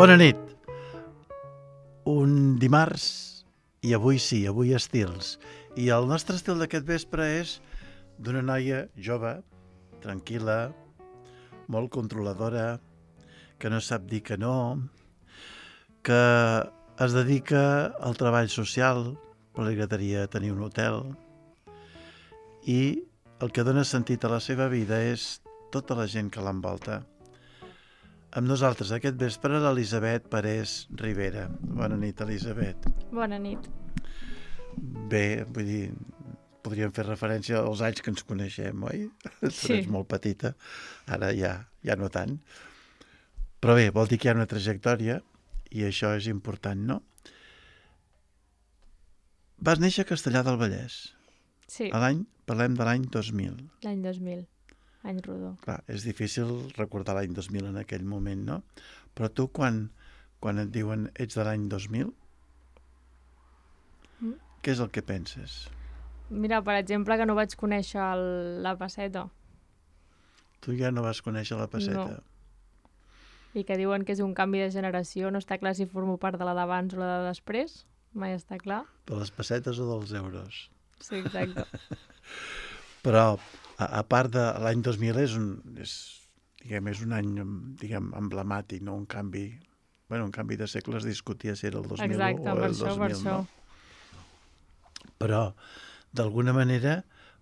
Bona nit. Un dimarts i avui sí, avui estils. I el nostre estil d'aquest vespre és d'una noia jove, tranquil·la, molt controladora, que no sap dir que no, que es dedica al treball social, però li agradaria tenir un hotel, i el que dona sentit a la seva vida és tota la gent que l'envolta. Amb nosaltres aquest vespre l'Elisabet Parés Rivera. Bona nit, Elisabet. Bona nit. Bé, vull dir, podríem fer referència als anys que ens coneixem, oi? Sí. Tu ets molt petita, ara ja no tant. Però bé, vol dir que hi ha una trajectòria i això és important, no? Vas néixer a Castellar del Vallès. Sí, Parlem de l'any 2000. l'any 2000, any rodó. Clar, és difícil recordar l'any 2000 en aquell moment, no? Però tu, quan et diuen ets de l'any 2000, què és el que penses? Mira, per exemple, que no vaig conèixer la Pesseta Tu ja no vas conèixer la Pesseta. i que diuen que és un canvi de generació. No està clar si formo part de la d'abans o la de després. Mai està clar. De les pessetes o dels euros. Sí, exacte. Però, a part de l'any 2000, és un any, diguem, emblemàtic, no? Un canvi de segle. Es discutia si era el 2000 Exacte, o per el això, 2000, per això. no? Però, d'alguna manera,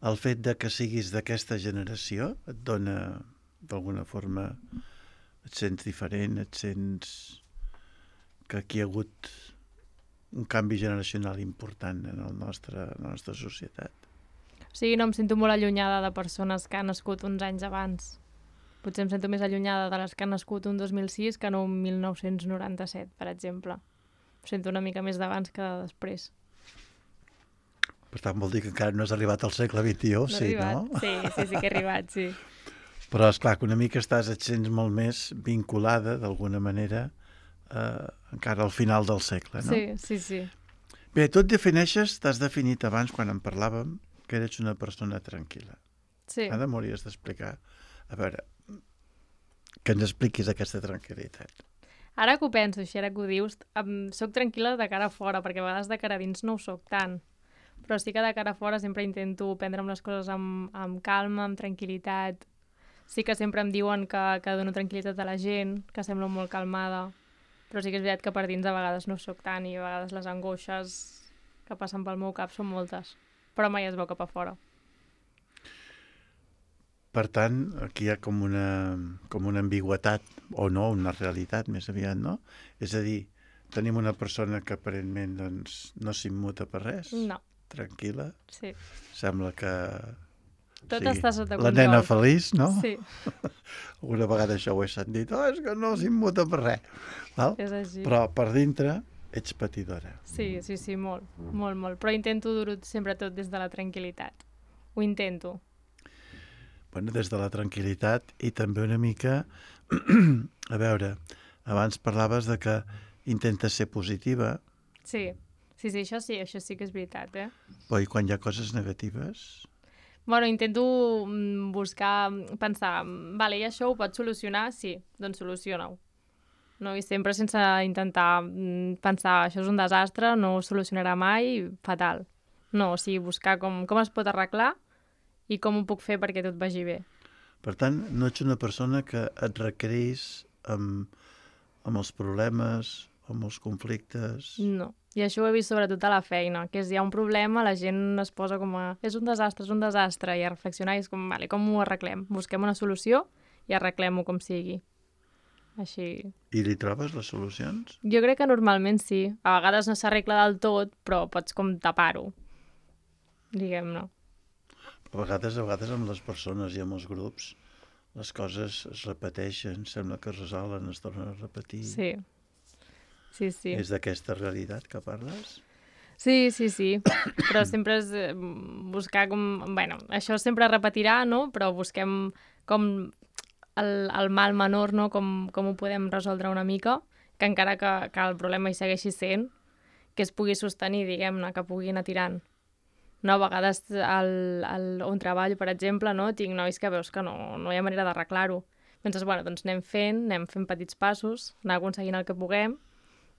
el fet de que siguis d'aquesta generació et dona, d'alguna forma, et sents diferent, et sents que aquí hi ha hagut un canvi generacional important en la nostra societat. O sigui, no em sento molt allunyada de persones que han nascut uns anys abans. Potser em sento més allunyada de les que han nascut un 2006 que no un 1997, per exemple. Em sento una mica més d'abans que de després. Per tant, vol dir que encara no has arribat al segle XXI, No sí, he arribat. no? Sí que he arribat, sí. Però, esclar, que una mica et sents molt més vinculada, d'alguna manera, encara al final del segle, no? Sí. Bé, tu t'has definit abans, quan en parlàvem, que eres una persona tranquil·la. Sí. Ara m'hauries d'explicar. A veure, que ens expliquis aquesta tranquil·litat. Ara que ho penso, així ara que ho dius, soc tranquil·la de cara a fora, perquè a vegades de cara a dins no ho soc tant. Però sí que de cara a fora sempre intento prendre'm les coses amb calma, amb tranquil·litat. Sí que sempre em diuen que dono tranquil·litat a la gent, que semblo molt calmada. Però sí que és veritat que per dins a vegades no ho soc tant i a vegades les angoixes que passen pel meu cap són moltes. Però mai es veu cap a fora. Per tant, aquí hi ha com una ambigüetat, o no, una realitat més aviat, no? És a dir, tenim una persona que aparentment doncs, no s'immuta per res, No, tranquil·la, sí. sembla que... Tot està sota la control. nena feliç, no? Sí, Alguna vegada això ho he sentit, és que no s'immuta per res. Val? és així. Però per dintre ets patidora. Sí, molt, molt. Però intento dur-ho sempre tot des de la tranquil·litat. Ho intento. Bueno, des de la tranquil·litat i també una mica... A veure, abans parlaves de que intentes ser positiva, Sí, això sí que és veritat, eh? però i quan hi ha coses negatives? Bueno, intento pensar, vale, i això ho pots solucionar? Sí, doncs soluciona-ho. No? I sempre sense intentar pensar, això és un desastre, no ho solucionarà mai, fatal. No, o sigui, buscar com es pot arreglar i com ho puc fer perquè tot vagi bé. Per tant, no ets una persona que et requereix amb els problemes, amb els conflictes... No, i això ho he vist sobretot a la feina, que hi ha un problema, la gent es posa com a... és un desastre, i a reflexionar i és com, vale, com ho arreglem? Busquem una solució i arreglem-ho com sigui. Així... I li trobes les solucions? Jo crec que normalment sí. A vegades no s'arregla del tot, però pots com tapar-ho, diguem-ne. A vegades amb les persones i amb els grups les coses es repeteixen, sembla que es resolen, es tornen a repetir. Sí. És d'aquesta realitat que parles? Sí, però sempre és buscar com... Bueno, això sempre es repetirà, no? Però busquem com el mal menor, no? Com ho podem resoldre una mica, que encara que el problema hi segueixi sent, que es pugui sostenir, diguem-ne, que pugui anar tirant. No, a vegades on treballo, per exemple, no, tinc nois que veus que no hi ha manera d'arreglar-ho. Llavors, bueno, doncs anem fent petits passos, anar aconseguint el que puguem,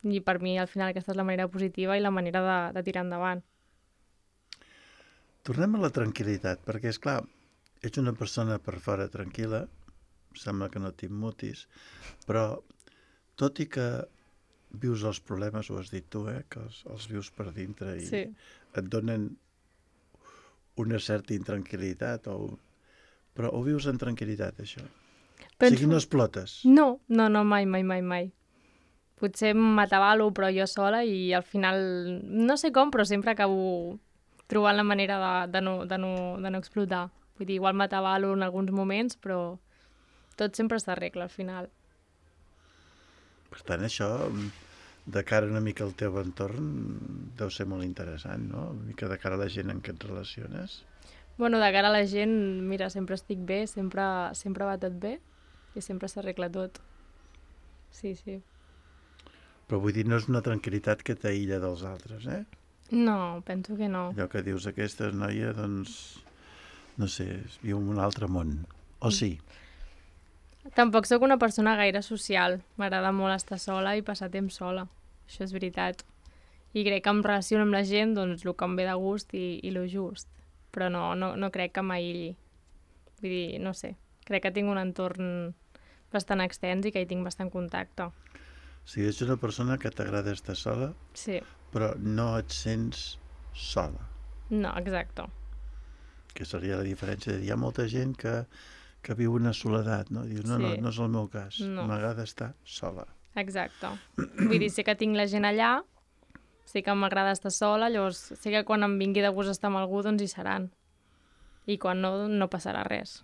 i per mi, al final, aquesta és la manera positiva i la manera de tirar endavant. Tornem a la tranquil·litat, perquè, és clar, ets una persona per fora tranquil·la, sembla que no t'immutis, però tot i que vius els problemes, ho has dit tu, que els vius per dintre i Sí. et donen una certa intranquil·litat, però ho vius en tranquil·litat, això. O sigui, no explotes. No, mai. Potser m'atabalo, però jo sola, i al final, no sé com, però sempre acabo trobant la manera de no explotar. Vull dir, igual m'atabalo en alguns moments, però tot sempre s'arregla al final. Per tant, això, de cara una mica al teu entorn, deu ser molt interessant, no? Una mica de cara a la gent en què et relaciones. Bueno, de cara a la gent, mira, sempre estic bé, sempre va tot bé i sempre s'arregla tot. Sí. Però vull dir, no és una tranquil·litat que t'aïlla dels altres, No, penso que no. Allò que dius, aquesta noia, doncs, no sé, viu en un altre món. O sí? Tampoc sóc una persona gaire social. M'agrada molt estar sola i passar temps sola. Això és veritat. I crec que em relaciono amb la gent, doncs, el que em ve de gust i lo just. Però no crec que m'aïlli. Vull dir, no sé. Crec que tinc un entorn bastant extens i que hi tinc bastant contacte. O sigui, ets una persona que t'agrada estar sola, Sí. però no et sents sola. No, exacte. Que seria la diferència. Hi ha molta gent que viu una soledat, no? Diu, no, Sí. no és el meu cas. No. M'agrada estar sola. Exacte. Vull dir, sé que tinc la gent allà, sé que m'agrada estar sola, llavors sé que quan em vingui de gust estar amb algú, doncs hi seran. I quan no passarà res.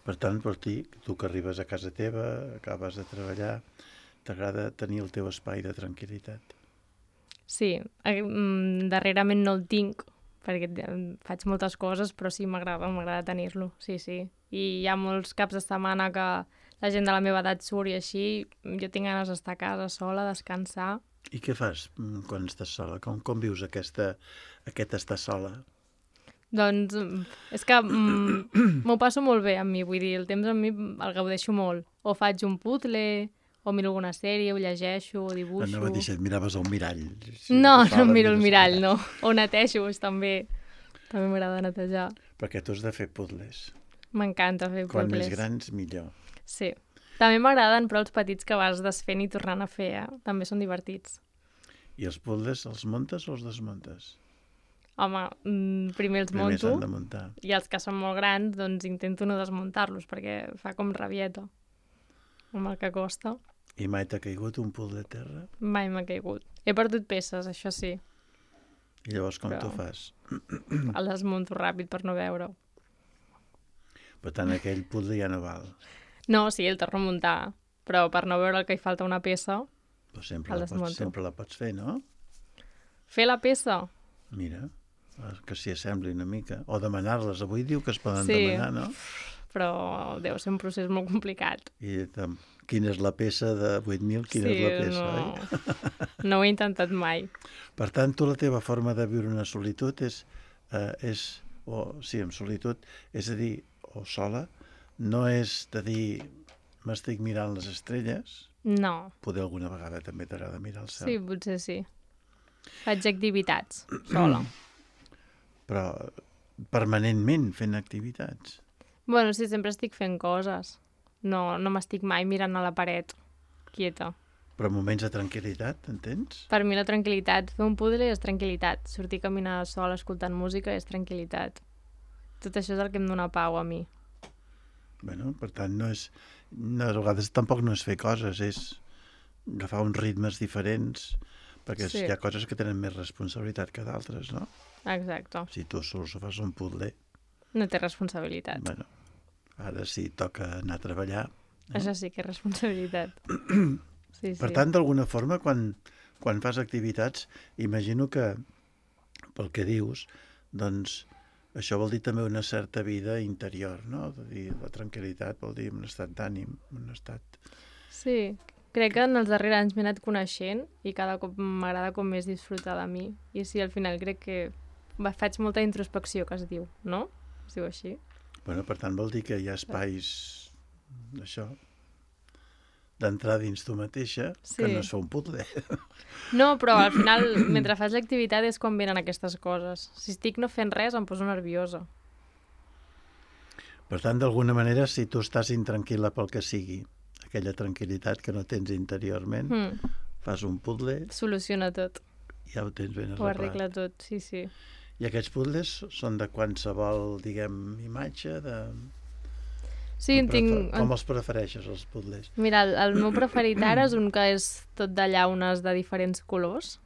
Per tant, per ti, tu que arribes a casa teva, acabes de treballar, t'agrada tenir el teu espai de tranquil·litat. Sí, darrerament no el tinc, perquè faig moltes coses, però sí, m'agrada tenir-lo, sí. I hi ha molts caps de setmana que la gent de la meva edat surt i així, jo tinc ganes d'estar a casa sola, descansar. I què fas quan estàs sola? Com vius aquest estar sola? Doncs és que m'ho passo molt bé amb mi, vull dir, el temps amb mi el gaudeixo molt. O faig un puzzle, o miro alguna sèrie, o llegeixo, o dibuixo... Anava a dir si et miraves al mirall. No em miro el mirall, no. O netejo, també m'agrada netejar. Perquè tu has de fer puzzles. M'encanta fer puzzles. Quan més grans, millor. Sí. També m'agraden, però els petits que vas desfent i tornant a fer, també són divertits. I els puzzles els muntes o els desmuntes? Home, primer els Primer monto, s'han de muntar. i els que són molt grans, doncs intento no desmuntar-los, perquè fa com rabieta, amb el que costa. I mai t'ha caigut un puzzle a terra? Mai m'ha caigut. He perdut peces, això sí. I llavors com Però- t'ho fas? El desmunto ràpid per no veure-ho. Per tant, aquell puzzle ja no val. No, sí, el torno a muntar, però per no veure que hi falta una peça, Però sempre, El la pots, desmunto. sempre la pots fer, no? fer la peça. Mira, que s'hi assembli una mica. O demanar-les. Avui diu que es poden Sí. demanar, no? Però deu ser un procés molt complicat. I quina és la peça de 8.000? Quina és la peça, oi? No ho he intentat mai. Per tant, tu la teva forma de viure una solitud és en solitud, és a dir, o sola, no és de dir m'estic mirant les estrelles, No, poder alguna vegada també t'agrada mirar el cel, sí, potser sí. Faig activitats, sola. però permanentment fent activitats. Bueno, sí, sempre estic fent coses. No m'estic mai mirant a la paret, quieta. Però moments de tranquil·litat, entens? Per mi la tranquil·litat, fer un puzzle és tranquil·litat. Sortir a caminar sola escoltant música és tranquil·litat. Tot això és el que em dóna pau a mi. Bueno, per tant, no, a vegades tampoc no és fer coses, és agafar uns ritmes diferents, perquè Sí. hi ha coses que tenen més responsabilitat que d'altres, no? Exacte. Si tu sols fas un puzzle, No té responsabilitat. bueno, ara sí toca anar a treballar. Això sí que és responsabilitat. Sí. Per tant, d'alguna forma, quan fas activitats, imagino que, pel que dius, doncs això vol dir també una certa vida interior, no? De dir, la tranquil·litat vol dir un estat d'ànim, un estat... Sí, crec que en els darrers anys m'he anat coneixent i cada cop m'agrada com més disfrutar de mi. I sí, al final crec que faig molta introspecció, que es diu, no? Es diu així? Bueno, per tant, vol dir que hi ha espais això, d'entrar dins tu mateixa, que no és fer un puzzle. No, però al final, mentre fas l'activitat és quan venen aquestes coses. Si estic no fent res, em poso nerviosa. Per tant, d'alguna manera, si tu estàs intranquil·la pel que sigui, aquella tranquil·litat que no tens interiorment, fas un puzzle... Soluciona tot. Ja ho tens ben arreglat. Ho arregla tot, sí, sí. I aquests puzzles són de qualsevol, diguem, imatge, de... Sí, com els prefereixes, els puzzles? Mira, el meu preferit ara és un que és tot de llaunes de diferents colors,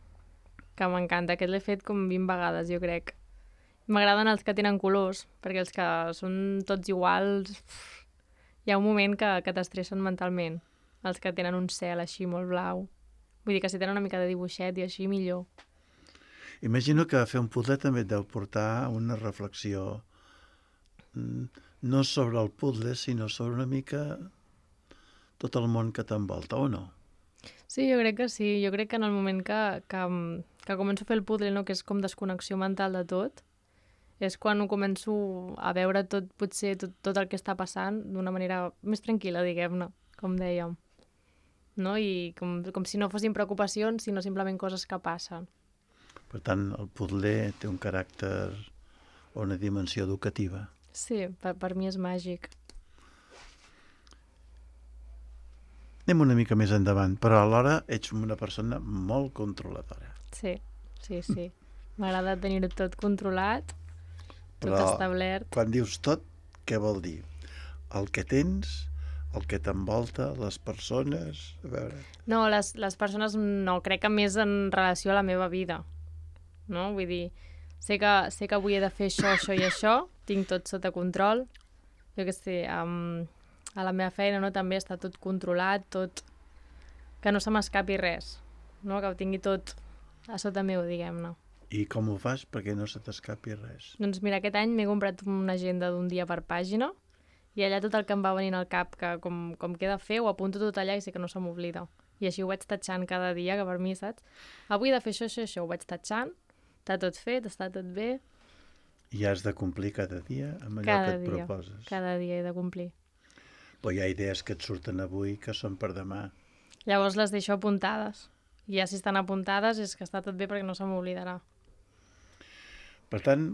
que m'encanta. Aquest l'he fet com 20 vegades, jo crec. M'agraden els que tenen colors, perquè els que són tots iguals... Hi ha un moment que t'estressen mentalment. Els que tenen un cel així molt blau. Vull dir que si tenen una mica de dibuixet i així, millor. Imagino que fer un puzzle també et deu portar una reflexió no sobre el puzzle, sinó sobre una mica tot el món que t'envolta, o no? Sí, jo crec que sí. Jo crec que en el moment que començo a fer el puzzle, no, que és com desconnexió mental de tot, és quan ho començo a veure tot, potser tot el que està passant d'una manera més tranquil·la, diguem-ne, com dèiem. No? I com si no fossin preocupacions, sinó simplement coses que passen. Per tant, el puzzle té un caràcter o una dimensió educativa. Sí, per mi és màgic. Anem una mica més endavant, però alhora ets una persona molt controladora. Sí. M'agrada tenir-ho tot controlat, tot establert. Quan dius tot, què vol dir? El que tens, el que t'envolta, les persones... A veure... No, les persones no, crec que més en relació a la meva vida. No? Vull dir, sé que avui he de fer això i això, tinc tot sota control. Jo què sé, a la meva feina no, també està tot controlat, tot... que no se m'escapi res, no? Que ho tingui tot a sota meu, diguem-ne. I com ho fas perquè no se t'escapi res? Doncs mira, aquest any m'he comprat una agenda d'un dia per pàgina i allà tot el que em va venint al cap, que com queda fer, ho apunto tot allà i sé que no se m'oblida. I així ho vaig tatxant cada dia, que per mi, saps? Avui he de fer això, ho vaig tatxant, està tot fet, està tot bé. I has de complir cada dia amb allò que et proposes. Cada dia he de complir. Però hi ha idees que et surten avui que són per demà. Llavors les deixo apuntades. I ja si estan apuntades és que està tot bé perquè no se m'oblidarà. Per tant,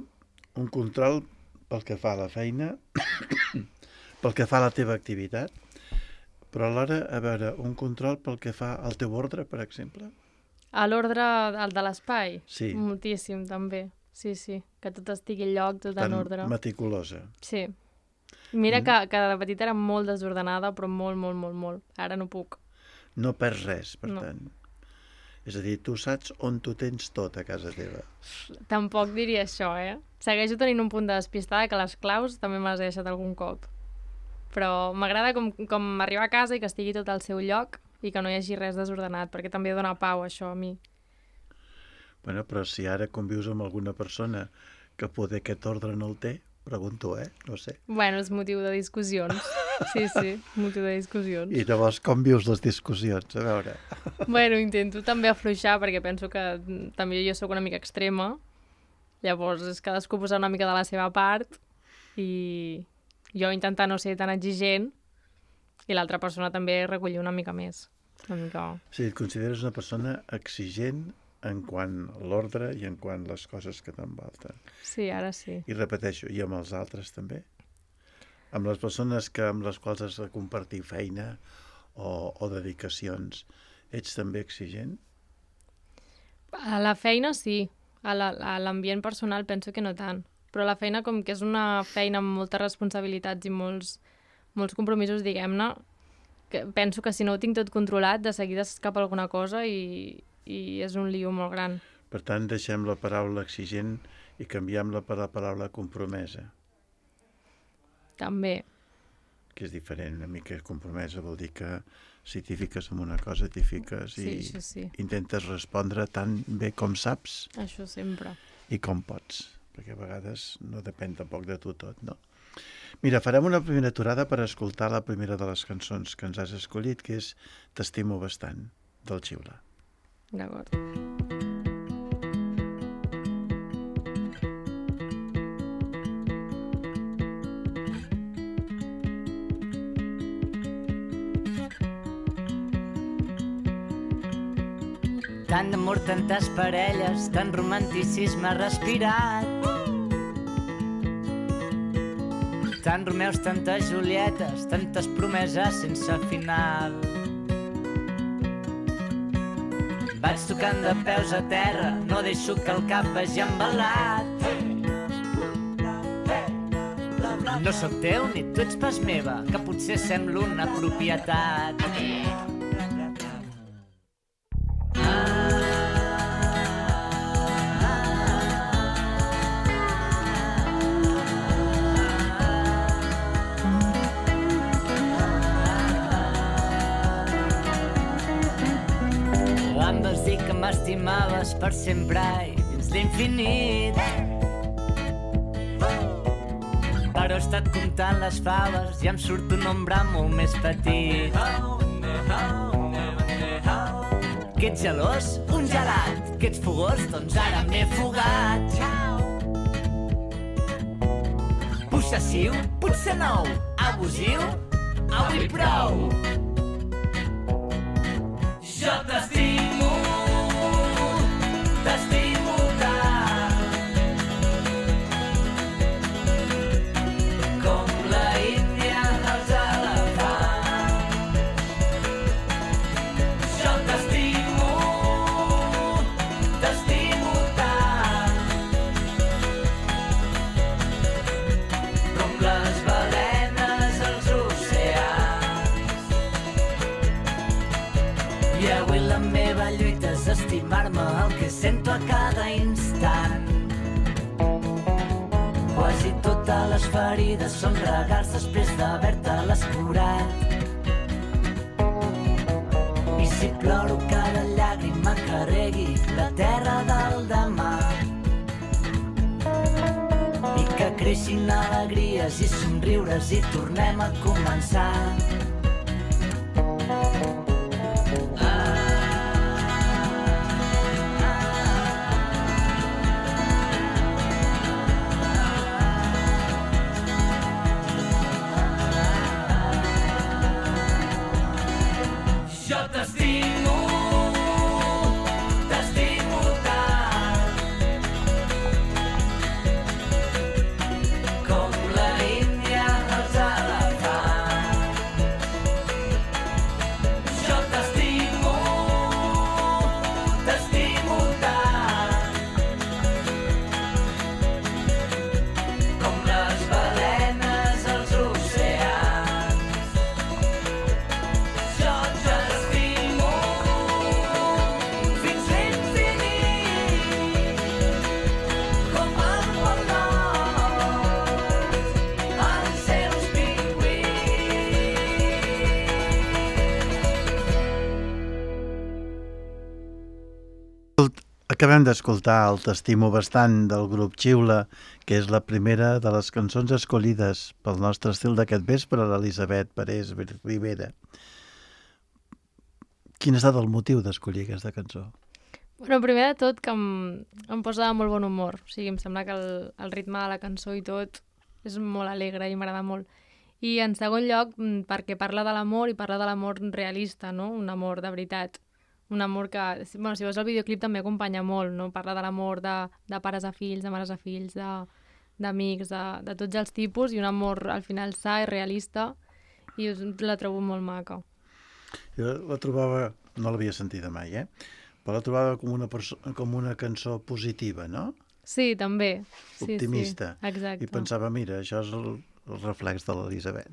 un control pel que fa a la feina, pel que fa a la teva activitat, però alhora, a veure, un control pel que fa al teu ordre, per exemple? A l'ordre de l'espai? Sí. Moltíssim, també. Sí, que tot estigui al lloc, tot en ordre. Tan meticulosa. Sí. Mira que de petita era molt desordenada, però molt. Ara no puc. No perds res, per tant. És a dir, tu saps on tu tens tot a casa teva. Tampoc diria això, Segueixo tenint un punt de despistada que les claus també me les he deixat algun cop. Però m'agrada com arribar a casa i que estigui tot al seu lloc i que no hi hagi res desordenat, perquè també dona pau això a mi. Bueno, però si ara convius amb alguna persona que poder aquest ordre no el té, pregunto, no sé. Bueno, és motiu de discussions. Sí, motiu de discussions. I llavors com vius les discussions? A veure. Bueno, intento també afluixar perquè penso que també jo sóc una mica extrema. Llavors és cadascú posar una mica de la seva part i jo intentar no ser tan exigent i l'altra persona també recollir una mica més. Sí, et consideres una persona exigent en quant a l'ordre i en quant a les coses que t'envolten. Sí, ara sí. I repeteixo, i amb els altres també? Amb les persones amb les quals has de compartir feina o dedicacions, ets també exigent? A la feina sí, a l'ambient personal penso que no tant, però la feina com que és una feina amb moltes responsabilitats i molts compromisos, diguem-ne, penso que si no ho tinc tot controlat, de seguida s'escapa alguna cosa i és un lío molt gran. Per tant, deixem la paraula exigent i canviem-la per la paraula compromesa. També. Que és diferent, una mica compromesa vol dir que si t'hi fiques en una cosa, t'hi fiques i intentes respondre tan bé com saps. Això sempre. I com pots, perquè a vegades no depèn tampoc de tu tot, no? Mira, farem una primera aturada per escoltar la primera de les cançons que ens has escollit, que és T'estimo bastant, del Xiula. D'acord. Tant d'amor, tantes parelles, tant romanticisme respirat. Tant Romeus, tantes Julietes, tantes promeses sense final. Vaig tocant de peus a terra, no deixo que el cap vagi embalat. No sóc teu ni tu ets pas meva, que potser sembla una propietat. Em vas dir que m'estimaves per sempre i dins l'infinit. Però he estat comptant les faves i em surt un nombre molt més petit. Que ets gelós? Un gelat. Que ets fogós? Doncs ara m'he fugat. Possessiu? Potser nou. Abusiu? Avui prou. Jo t'estimo, t'estimo tant, com la Índia dels elefants. Jo t'estimo tant, com les balenes als oceans. I avui la meva lluita és estimar-me el que sento a cada instant. Quasi totes les ferides són regals després d'haver-te-les curat. I si ploro cada llàgrima que regui la terra del demà. I que creixin alegries i somriures i tornem a començar. Acabem d'escoltar el T'estimo bastant del grup Xiula, que és la primera de les cançons escollides pel nostre estil d'aquest vespre, l'Elisabet Parés Rivera. Quin ha estat el motiu d'escollir aquesta cançó? Bueno, primer de tot que em posa de molt bon humor. O sigui, em sembla que el ritme de la cançó i tot és molt alegre i m'agrada molt. I en segon lloc, perquè parla de l'amor i parla de l'amor realista, no? Un amor de veritat. Un amor que, bueno, si veus el videoclip també acompanya molt, no? Parla de l'amor de pares a fills, de mares a fills, d'amics, de tots els tipus, i un amor al final sa i realista, i la trobo molt maca. Jo la trobava, no l'havia sentida mai, però la trobava com una cançó positiva, no? Sí, també. Optimista. Sí, exacte. I pensava, mira, això és el reflex de l'Elisabet.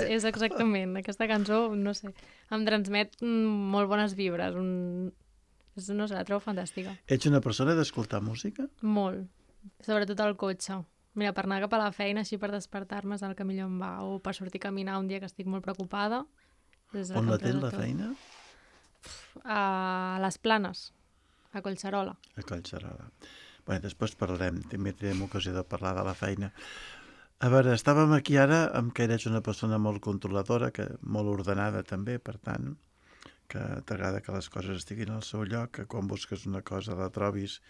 És exactament. Aquesta cançó, no sé, em transmet molt bones vibres. No sé, la trobo fantàstica. Ets una persona d'escoltar música? Molt. Sobretot al cotxe. Mira, per anar cap a la feina, així per despertar-me és el que millor em va. O per sortir a caminar un dia que estic molt preocupada. On la tens, la feina? A les Planes, a Collserola. A Collserola. Bé, després parlarem, també tindrem ocasió de parlar de la feina. A veure, estàvem aquí ara amb que eres una persona molt controladora, molt ordenada també, per tant, que t'agrada que les coses estiguin al seu lloc, que quan busques una cosa la trobis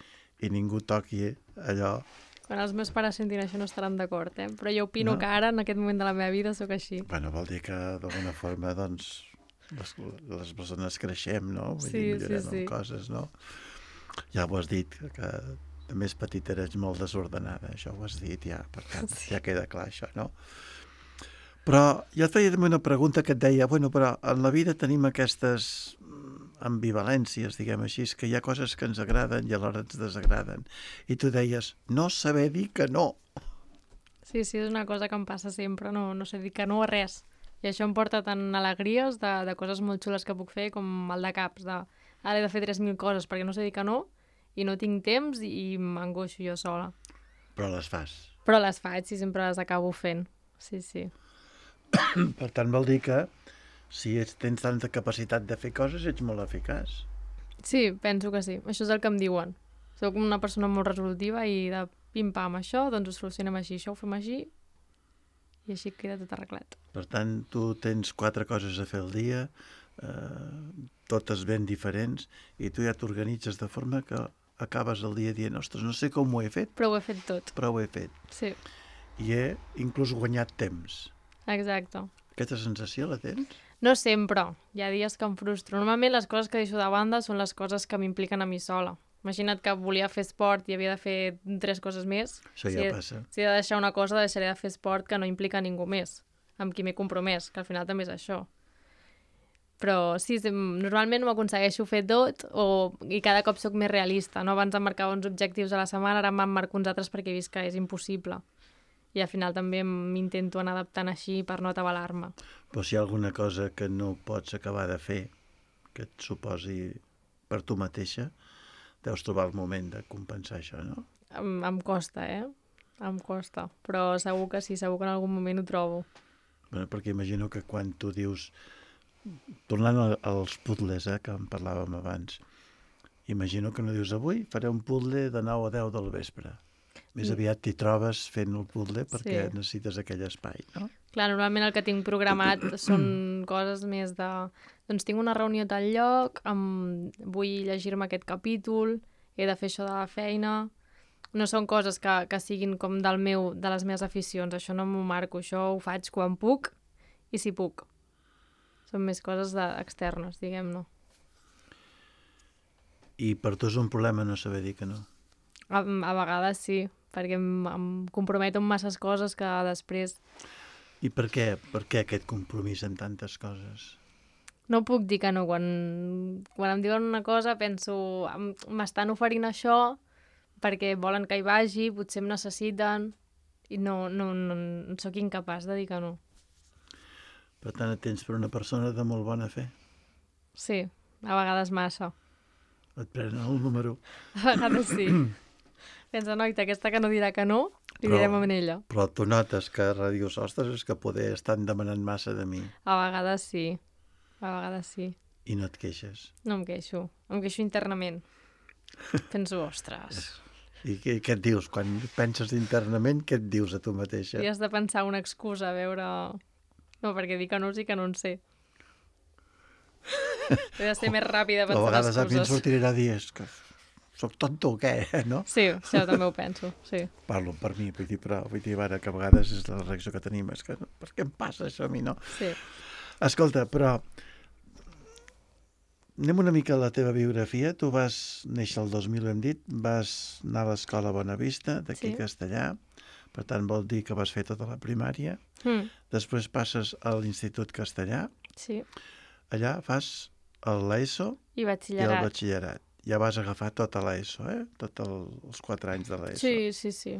i ningú toqui allò. Quan els meus pares sentin això no estaran d'acord, però jo opino que ara, en aquest moment de la meva vida, sóc així. Bueno, vol dir que d'alguna forma, doncs, les persones creixem, no? Vull dir, Sí, millorem sí. en coses, no? Ja ho has dit, que de més petita eres molt desordenada, això ho has dit ja, per tant, ja queda clar això, no? Però jo et feia també una pregunta que et deia, bueno, però en la vida tenim aquestes ambivalències, diguem així, que hi ha coses que ens agraden i alhora ens desagraden. I tu deies, no saber dir que no. Sí, és una cosa que em passa sempre, no sé dir que no a res. I això em porta tant alegries de coses molt xules que puc fer com mal de caps, ara he de fer 3.000 coses perquè no sé dir que no i no tinc temps i m'angoixo jo sola. Però les fas. Però les faig i sempre les acabo fent. Sí. Per tant, vol dir que si tens tanta capacitat de fer coses, ets molt eficaç. Sí, penso que sí. Això és el que em diuen. Soc una persona molt resolutiva i de pim-pam això, doncs ho solucionem així, això ho fem així i així queda tot arreglat. Per tant, tu tens 4 coses a fer al dia, totes ben diferents, i tu ja t'organitzes de forma que acabes el dia dient, ostres, no sé com ho he fet, Però ho he fet tot. però ho he fet. Sí, I he inclús guanyat temps. exacte. Aquesta sensació la tens? No sempre. Hi ha dies que em frustro. Normalment les coses que deixo de banda són les coses que m'impliquen a mi sola. Imagina't que volia fer esport i havia de fer 3 coses més. Això ja passa. Si he de deixar una cosa, deixaré de fer esport que no implica ningú més, amb qui m'he compromès, que al final també és això. Però sí, normalment m'ho aconsegueixo fer tot i cada cop sóc més realista. No? Abans em marcava uns objectius a la setmana, ara me'n marco uns altres perquè he vist que és impossible. I al final també m'intento anar adaptant així per no atabalar-me. Però si hi ha alguna cosa que no pots acabar de fer, que et suposi per tu mateixa, deus trobar el moment de compensar això, no? Em costa, Em costa. Però segur que sí, segur que en algun moment ho trobo. Bueno, perquè imagino que quan tu dius... Tornant als puzzles, que en parlàvem abans, imagino que no dius avui faré un puzzle de 9 a 10 del vespre. Més aviat t'hi trobes fent el puzzle perquè necessites aquell espai, no? Clar, normalment el que tinc programat són coses més de... Doncs tinc una reunió a tal lloc, vull llegir-me aquest capítol, he de fer això de la feina... No són coses que siguin com de les meves aficions, això no m'ho marco, això ho faig quan puc i si puc. Són més coses externes, diguem-ne. I per tu és un problema no saber dir que no? A vegades sí, perquè em comprometo amb masses coses que després... I per què? Per què aquest compromís en tantes coses? No puc dir que no. Quan em diuen una cosa penso, m'estan oferint això perquè volen que hi vagi, potser em necessiten i no sóc incapaç de dir que no. Per tant, et tens per una persona de molt bona fe? Sí, a vegades massa. Et prenen el número? A vegades sí. Pensa, noita, aquesta que no dirà que no, li direm a ella. Però tu notes que dius, ostres, és que poder estan demanant massa de mi. A vegades sí. A vegades sí. I no et queixes? No em queixo. Em queixo internament. Penso, ostres... I què et dius? Quan penses internament, què et dius a tu mateixa? I has de pensar una excusa, a veure... No, perquè dir que no sí que no en sé. He de ser més ràpida pensant excuses. A vegades a mi em sortirà a dir, és que soc tonto o què, no? Sí, això també ho penso, sí. Parlo per mi, vull dir, ara que a vegades és la reacció que tenim, és que per què em passa això a mi, no? Sí. Escolta, però... Anem una mica a la teva biografia. Tu vas néixer el 2000, ho hem dit, vas anar a l'escola Bonavista, d'aquí Castellà, per tant vol dir que vas fer tota la primària. Després passes a l'Institut Castellà. Sí. Allà fas l'ESO i el batxillerat. Ja vas agafar tota l'ESO, tots els 4 anys de l'ESO. Sí.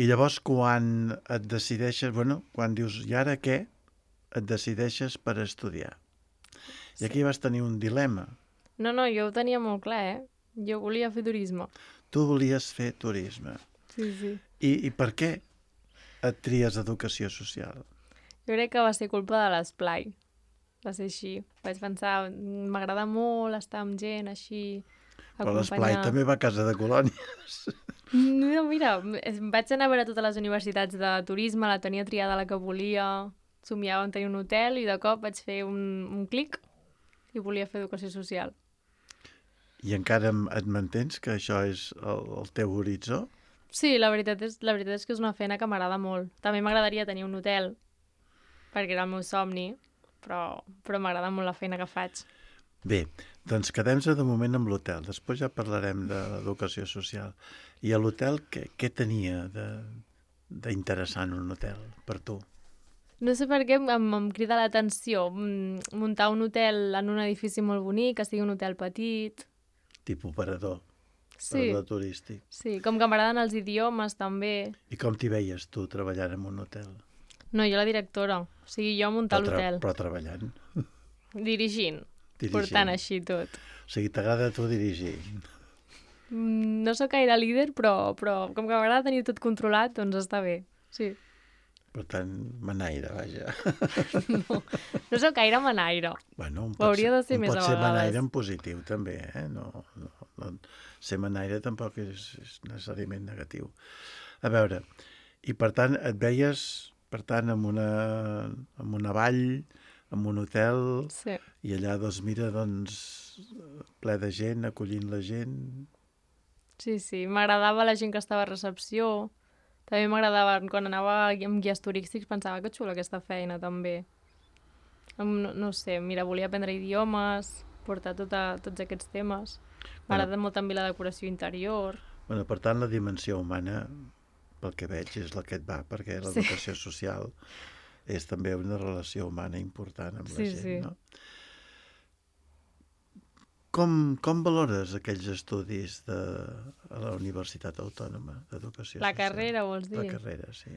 I llavors quan et decideixes, quan dius, i ara què? Et decideixes per estudiar. I aquí vas tenir un dilema. No, jo ho tenia molt clar, Jo volia fer turisme. Tu volies fer turisme. Sí. I per què et tries educació social? Jo crec que va ser culpa de l'esplai. Va ser així. Vaig pensar, m'agrada molt estar amb gent així, acompanyar... Però l'esplai també va a casa de colònies. No, mira, vaig anar a veure totes les universitats de turisme, la tenia triada la que volia, somiava en tenir un hotel i de cop vaig fer un clic i volia fer educació social. I encara et mantens que això és el teu horitzó? Sí, la veritat és que és una feina que m'agrada molt. També m'agradaria tenir un hotel, perquè era el meu somni, però m'agrada molt la feina que faig. Bé, doncs quedem-se de moment amb l'hotel. Després ja parlarem de l'educació social. I a l'hotel què tenia d'interessant un hotel per tu? No sé per què em crida l'atenció muntar un hotel en un edifici molt bonic, que sigui un hotel petit. Tipus operador Sí, turístic. sí, com que m'agraden els idiomes també. I com t'hi veies tu treballant en un hotel? No, jo la directora, o sigui, jo muntar l'hotel, Però treballant. dirigint, Dirigint. portant així tot. O sigui, t'agrada a tu dirigir. No sóc gaire líder, però com que m'agrada tenir tot controlat, doncs està bé, sí. Per tant, manaire, vaja. No sóc gaire manaire. Bueno, Ho hauria de ser més a pot ser manaire vegades. en positiu, també, eh? No, ser manaire tampoc és necessàriament negatiu. A veure, i per tant, et veies, per tant, en una vall, en un hotel, Sí. i allà, doncs, mira, doncs, ple de gent, acollint la gent. Sí, m'agradava la gent que estava a recepció. També m'agradava, quan anava amb guies turístics, pensava que xula aquesta feina, també. No sé, mira, volia aprendre idiomes, portar tots aquests temes. M'agrada molt també la decoració interior. Bueno, per tant, la dimensió humana, pel que veig, és la que et va, perquè l'educació social és també una relació humana important amb la gent, Sí. no? Com valores aquells estudis a la Universitat Autònoma d'Educació La Social? carrera, vols dir? La carrera, sí.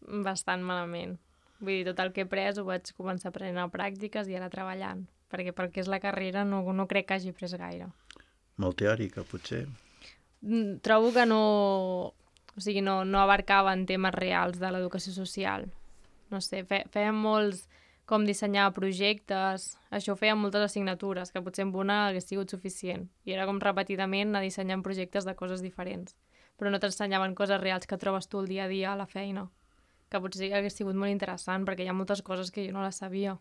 Bastant malament. Vull dir, tot el que he après ho vaig començar aprenent a pràctiques i ara treballant. Perquè és la carrera no crec que hagi pres gaire. Molt teòrica, potser. Trobo que no abarcava en temes reals de l'educació social. No sé, fèiem molts com dissenyar projectes, això ho feien moltes assignatures, que potser amb una hagués sigut suficient. I era com repetidament anar dissenyant projectes de coses diferents. Però no t'ensenyaven coses reals que trobes tu el dia a dia a la feina. Que potser hagués sigut molt interessant, perquè hi ha moltes coses que jo no les sabia.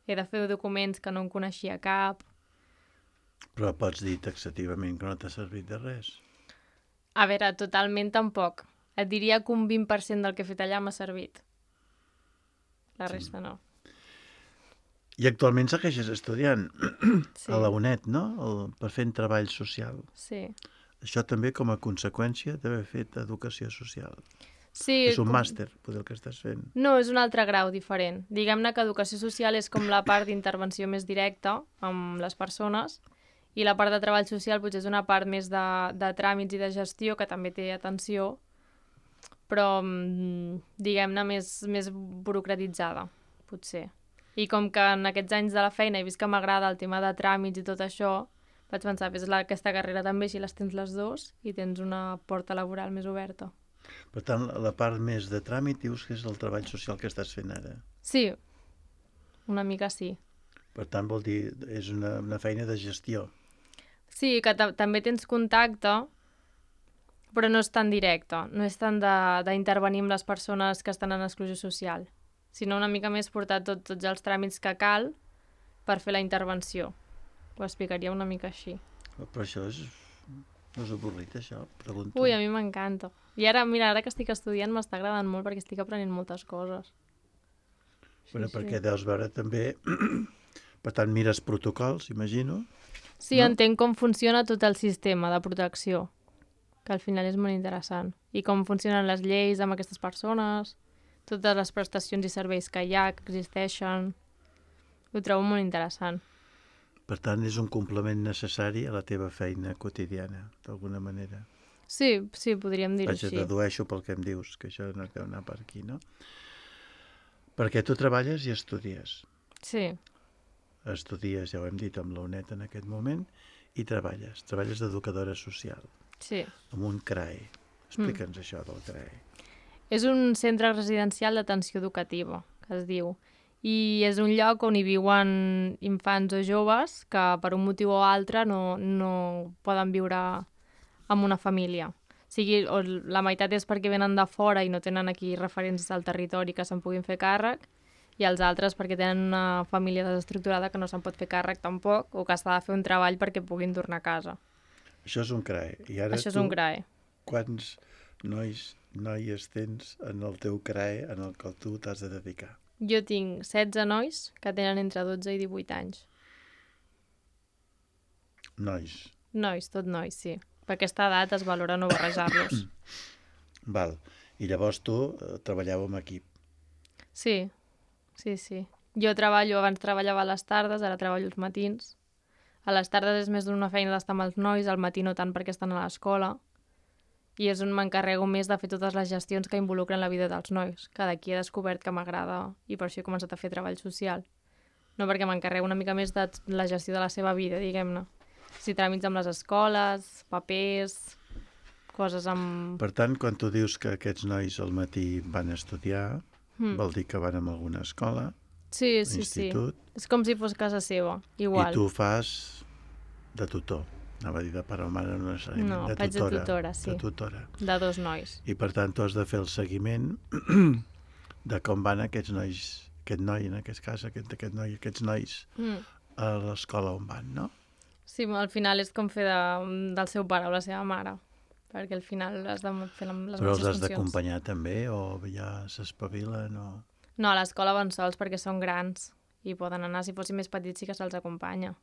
He de fer documents que no en coneixia cap. Però pots dir taxativament que no t'ha servit de res. A veure, totalment tampoc. Et diria que un 20% del que he fet allà m'ha servit. La resta no. I actualment segueixes estudiant Sí. a la UNED, no? Per fer treball social. Sí. Això també com a conseqüència d'haver fet educació social. Sí, És un màster, potser el que estàs fent. No, és un altre grau diferent. Diguem-ne que educació social és com la part d'intervenció més directa amb les persones i la part de treball social potser és una part més de tràmits i de gestió, que també té atenció, però diguem-ne més burocratitzada, potser. I com que en aquests anys de la feina he vist que m'agrada el tema de tràmits i tot això, vaig pensar, fes aquesta carrera també, si les tens les dues i tens una porta laboral més oberta. Per tant, la part més de tràmit dius que és el treball social que estàs fent ara. Sí, una mica sí. Per tant, vol dir, és una feina de gestió. Sí, que també tens contacte, però no és tan directe, no és tant d'intervenir amb les persones que estan en exclusió social, sinó una mica més portar tots els tràmits que cal per fer la intervenció. Ho explicaria una mica així. Però això no és avorrit, això? Pregunto. Ui, a mi m'encanta. I ara, mira, ara que estic estudiant m'està agradant molt perquè estic aprenent moltes coses. Bueno, perquè deus veure també... Per tant, mires protocols, imagino. Sí, no? Entenc com funciona tot el sistema de protecció, que al final és molt interessant. I com funcionen les lleis amb aquestes persones, totes les prestacions i serveis que hi ha, que existeixen. Ho trobo molt interessant. Per tant, és un complement necessari a la teva feina quotidiana, d'alguna manera. Sí, podríem dir-ho així. Dedueixo pel que em dius, que això no deu anar per aquí, no? Perquè tu treballes i estudies. Sí. Estudies, ja ho hem dit, amb la UNED en aquest moment, i treballes. Treballes d'educadora social. Sí. Amb un CRAE. Explica'ns això del CRAE. És un centre residencial d'atenció educativa, que es diu. I és un lloc on hi viuen infants o joves que per un motiu o altre no poden viure amb una família. O sigui, la meitat és perquè venen de fora i no tenen aquí referents del territori que se'n puguin fer càrrec, i els altres perquè tenen una família desestructurada que no se'n pot fer càrrec tampoc, o que s'ha de fer un treball perquè puguin tornar a casa. Això és un CRAE. I ara Això és un CRAE. Quants noies tens en el teu CRAE en el que tu t'has de dedicar? Jo tinc 16 nois que tenen entre 12 i 18 anys. Nois. Nois, tot nois, sí. Per aquesta edat es valora no barrejar-los. Val. I llavors tu treballeu en equip. Sí. Jo abans treballava a les tardes, ara treballo els matins. A les tardes és més d'una feina d'estar amb els nois, al matí no tant perquè estan a l'escola. I és on m'encarrego més de fer totes les gestions que involucren la vida dels nois, que d'aquí he descobert que m'agrada i per això he començat a fer treball social. No perquè m'encarrego una mica més de la gestió de la seva vida, diguem-ne. Si tràmits amb les escoles, papers, coses amb... Per tant, quan tu dius que aquests nois al matí van a estudiar, vol dir que van a alguna escola, sí. institut... És com si fos casa seva, igual. I tu fas de tutor. Anava a dir de pare o mare, no necessàriament. No, faig de tutora, sí. De tutora. De 2 nois. I per tant tu has de fer el seguiment de com van aquests nois, aquest noi en aquest cas, aquest noi, aquests nois a l'escola on van, no? Sí, al final és com fer del seu pare o la seva mare, perquè al final has de fer les mateixes funcions. Però els has d'acompanyar també o ja s'espavilen o... No, a l'escola van sols perquè són grans i poden anar, si fossin més petits sí que se'ls acompanya.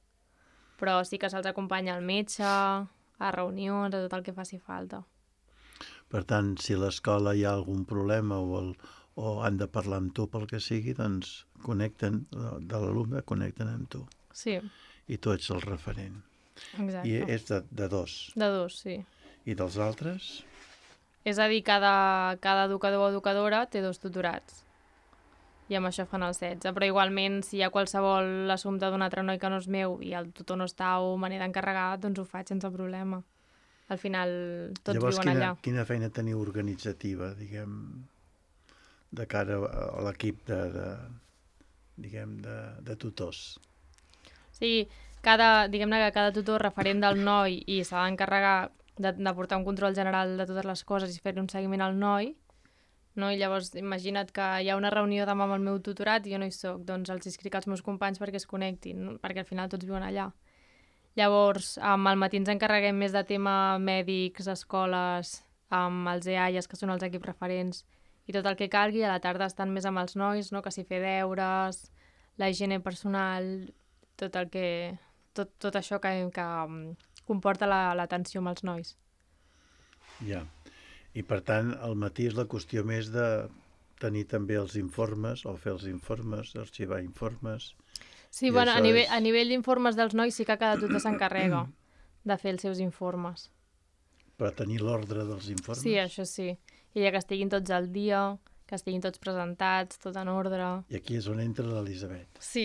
Però sí que se'ls acompanya al metge, a reunions, a tot el que faci falta. Per tant, si a l'escola hi ha algun problema o han de parlar amb tu pel que sigui, doncs connecten, de l'alumne connecten amb tu. Sí. I tu ets el referent. Exacte. I és de 2. De 2, sí. I dels altres? És a dir, cada educador o educadora té 2 tutorats. I amb això fan el 16. Però igualment, si hi ha qualsevol assumpte d'un altre noi que no és meu i el tutor no està o me n'he d'encarregar, doncs ho faig sense problema. Al final, tots viuen allà. Llavors, quina feina teniu organitzativa, diguem, de cara a l'equip de tutors? Sí, diguem-ne que cada tutor referent del noi i s'ha d'encarregar de portar un control general de totes les coses i fer un seguiment al noi, no? I llavors imagina't que hi ha una reunió demà amb el meu tutorat i jo no hi soc, doncs els escric als meus companys perquè es connectin, no? Perquè al final tots viuen allà. Llavors, al matí ens encarreguem més de tema mèdics, escoles, amb els EAIAs, que són els equips referents, i tot el que calgui. A la tarda estan més amb els nois, no? Que si fer deures, la higiene personal, tot això que comporta l'atenció amb els nois. Ja. I per tant, al matí és la qüestió més de tenir també els informes, o fer els informes, arxivar informes... Sí, bueno, a nivell d'informes dels nois sí que cada tutor s'encarrega de fer els seus informes. Per tenir l'ordre dels informes? Sí, això sí. I ja que estiguin tots al dia, que estiguin tots presentats, tot en ordre... I aquí és on entra l'Elisabet. Sí,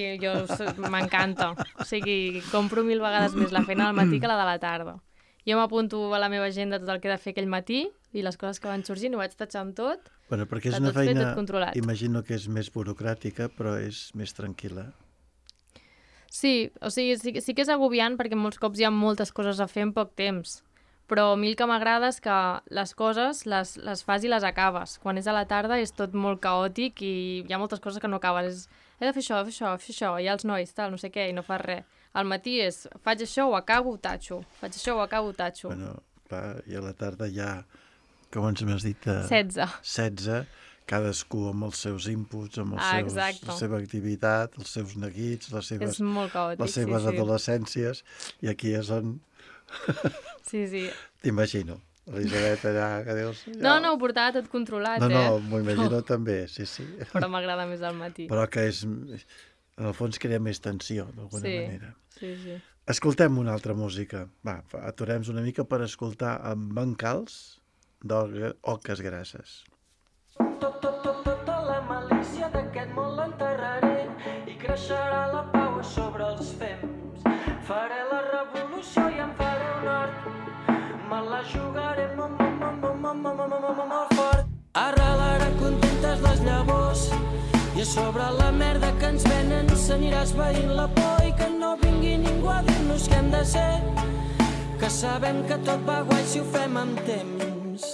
m'encanta. O sigui, compro 1000 vegades més la feina del matí que la de la tarda. Jo m'apunto a la meva agenda tot el que he de fer aquell matí i les coses que van sorgint ho vaig tatxar amb tot. Bueno, perquè és una feina, imagino que és més burocràtica, però és més tranquil·la. Sí, o sigui, sí que és agobiant perquè molts cops hi ha moltes coses a fer en poc temps, però a mi el que m'agrada és que les coses les fas i les acabes. Quan és a la tarda és tot molt caòtic i hi ha moltes coses que no acabes. He de fer això, hi ha els nois, tal, no sé què, i no fas res. Al matí és, faig això, ho acabo, ho tatxo. Faig això, ho acabo, ho tatxo. Bueno, clar, i a la tarda ja, com ens m'has dit? 16, cadascú amb els seus inputs, amb la seva activitat, els seus neguits, les seves adolescències, i aquí és on... Sí. T'imagino. Elisabet allà, que dius... No, ho portava tot controlat, No, m'ho imagino també, sí. Però m'agrada més al matí. Però que és... En el fons crea més tensió, d'alguna manera. Sí. Escoltem una altra música. Va, aturem-nos una mica per escoltar amb bancals d'Oques Grasses. Tota la malícia d'aquest món l'enterraré i creixerà la pau sobre els fems. Faré la revolució i em faré un hort. Me la jugaré molt fort. Arrelarà contentes les llavors i a sobre la merda que ens venen s'anirà esvaint la por i que no vingui ningú a dir-nos què hem de ser, que sabem que tot va guai si ho fem amb temps.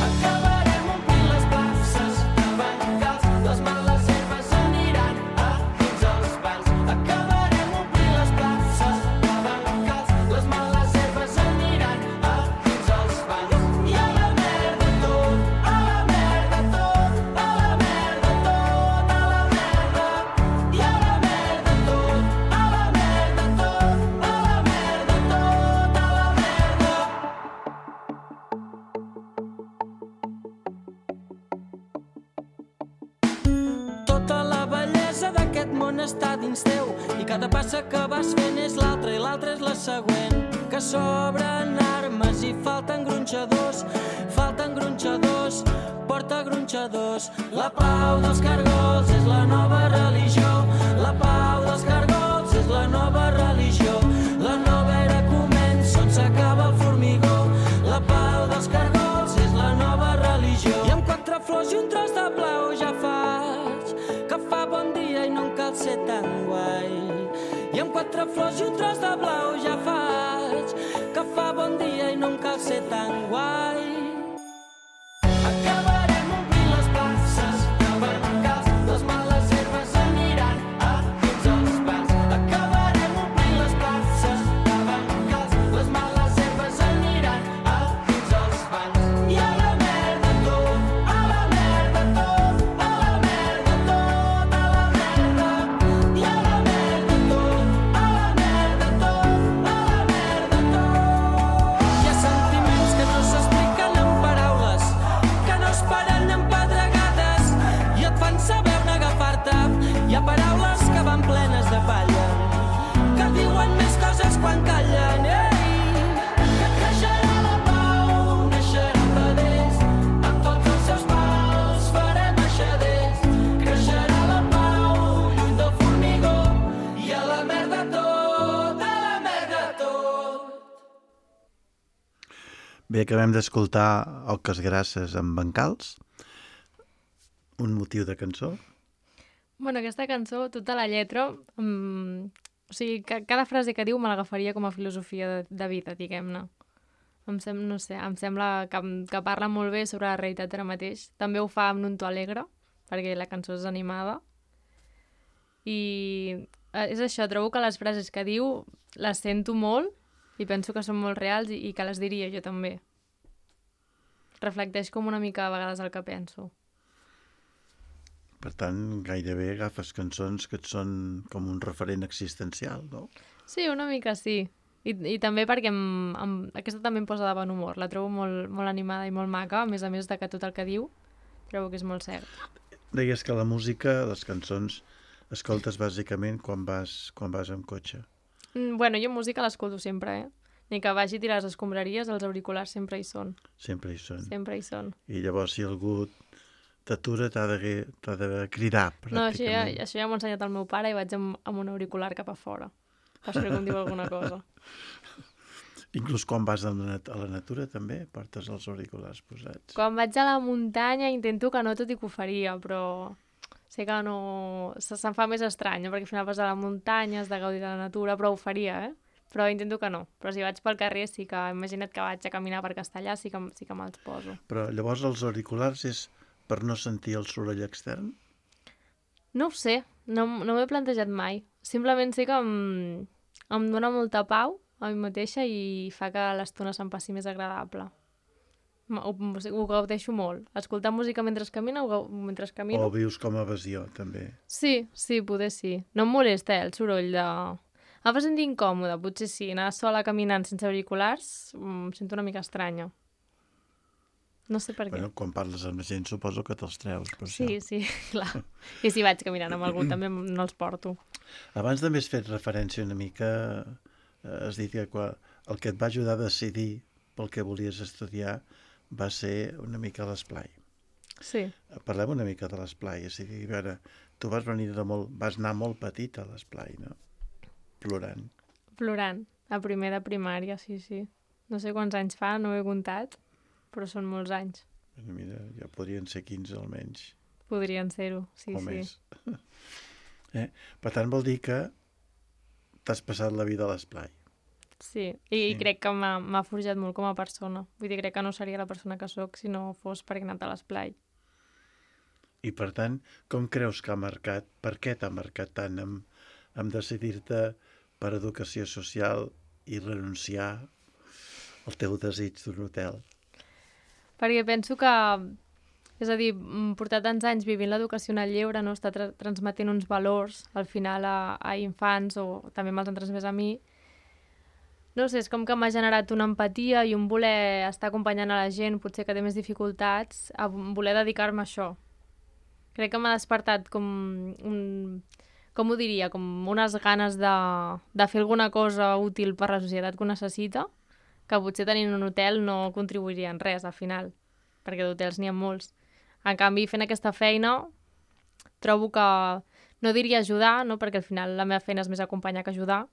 Acabarem omplint les places de bancals, les males herbes aniran a dins els bancs. Acabarem omplint les places de bancals, les males herbes aniran a dins els bancs. I a la merda tot, a la merda tot, a la merda tot, a la món està dins teu i cada passa que vas fent és l'altra i l'altra és la següent. Que sobren armes i falten gronxadors, porta gronxadors. La pau dels cargols és la nova religió, la pau dels cargols és la nova religió. La nova era comença on s'acaba el formigó, la pau dels cargols és la nova religió. I amb 4 flors i un tros de blau ja faig que fa bon dia i no en cal ser tan guai. I amb 4 flors i un tros de blau ja faig que fa bon dia i no en cal ser tan guai. Acabarem omplint les places de bancals, les males herbes aniran a dins els bancs. Acabarem omplint les places de bancals, les males herbes aniran a dins els bancs. I a la merda tot, a la merda tot, a la merda tot, a la merda. I a la merda tot, a la merda tot, a la merda tot. Hi ha sentiments que no s'expliquen amb paraules, que no es paren amb pedregades i et fan saber on agafar-te. Hi ha paraules que van plenes de palla, que diuen més coses quan callen. Ei, que creixerà la pau, naixeran vedells, amb tots els seus mals farem aixaders. Creixerà la pau, lluny del formigó, i a la merda tot, a la merda tot. Bé, acabem d'escoltar Oques Grasses amb Bancals, un motiu de cançó. Bueno, aquesta cançó, tota la lletra, o sigui, cada frase que diu me l'agafaria com a filosofia de vida, diguem-ne. No sé, em sembla que parla molt bé sobre la realitat ara mateix. També ho fa amb un to alegre, perquè la cançó és animada. I és això, trobo que les frases que diu les sento molt i penso que són molt reals i que les diria jo també. Reflecteix com una mica a vegades el que penso. Per tant, gairebé agafes cançons que et són com un referent existencial, no? Sí, una mica sí. I també perquè aquesta també em posa de bon humor. La trobo molt animada i molt maca, a més de que tot el que diu trobo que és molt cert. Deies que la música, les cançons, escoltes bàsicament quan vas amb cotxe. Bueno, jo música l'escolto sempre, Ni que vagi a tirar les escombraries, els auriculars sempre hi són. Sempre hi són. Sempre hi són. I llavors, si algú t'atura, t'ha de cridar, pràcticament. No, això ja m'ho ha ensenyat el meu pare i vaig amb un auricular cap a fora. Espero que em diu alguna cosa. Inclús quan vas a la natura també portes els auriculars posats. Quan vaig a la muntanya intento que no, tot i que ho faria, però sé que no... Se'm fa més estrany, perquè al final vas a la muntanya, has de gaudir de la natura, però ho faria, Però intento que no. Però si vaig pel carrer, sí que... Imagina't que vaig a caminar per Castellà, sí que me'ls poso. Però llavors els auriculars és per no sentir el soroll extern? No ho sé, no m'ho he plantejat mai. Simplement sé que em dona molta pau a mi mateixa i fa que l'estona se'm passi més agradable. Ho gaudeixo molt. Escoltar música mentre camino. O vius com a evasió, també? Sí, poder sí. No em molesta, el soroll de... Em fa sentir incòmode, potser sí. Anar sola caminant sense auriculars em sento una mica estranya. No sé per què. Bueno, quan parles amb la gent suposo que te'ls treus. Per sí, això. Sí, clar. I si vaig caminant amb algú també no els porto. Abans també has fet referència una mica, has dit que el que et va ajudar a decidir pel que volies estudiar va ser una mica l'esplai. Sí. Parlem una mica de l'esplai. És a dir, a veure, tu vas anar molt petit a l'esplai, no? Plorant. Plorant, a primer de primària, sí. No sé quants anys fa, no ho he comptat, però són molts anys. Mira, ja podrien ser 15 almenys. Podrien ser-ho, sí. O més. Per tant, vol dir que t'has passat la vida a l'esplai. Sí, i crec que m'ha forjat molt com a persona. Vull dir, crec que no seria la persona que sóc si no fos perquè he anat a l'esplai. I per tant, com creus que ha marcat, per què t'ha marcat tant en decidir-te per educació social i renunciar al teu desig d'un hotel? Perquè penso que, és a dir, portar tants anys vivint l'educació en el lleure, no està transmetent uns valors al final a infants o també me'ls han transmès a mi. No sé, és com que m'ha generat una empatia i un voler estar acompanyant a la gent, potser que té més dificultats, a voler dedicar-me a això. Crec que m'ha despertat com com ho diria, com unes ganes de fer alguna cosa útil per la societat que ho necessita, que potser tenint un hotel no contribuiria en res, al final, perquè d'hotels n'hi ha molts. En canvi, fent aquesta feina, trobo que, no diria ajudar, no? Perquè al final la meva feina és més acompanyar que ajudar,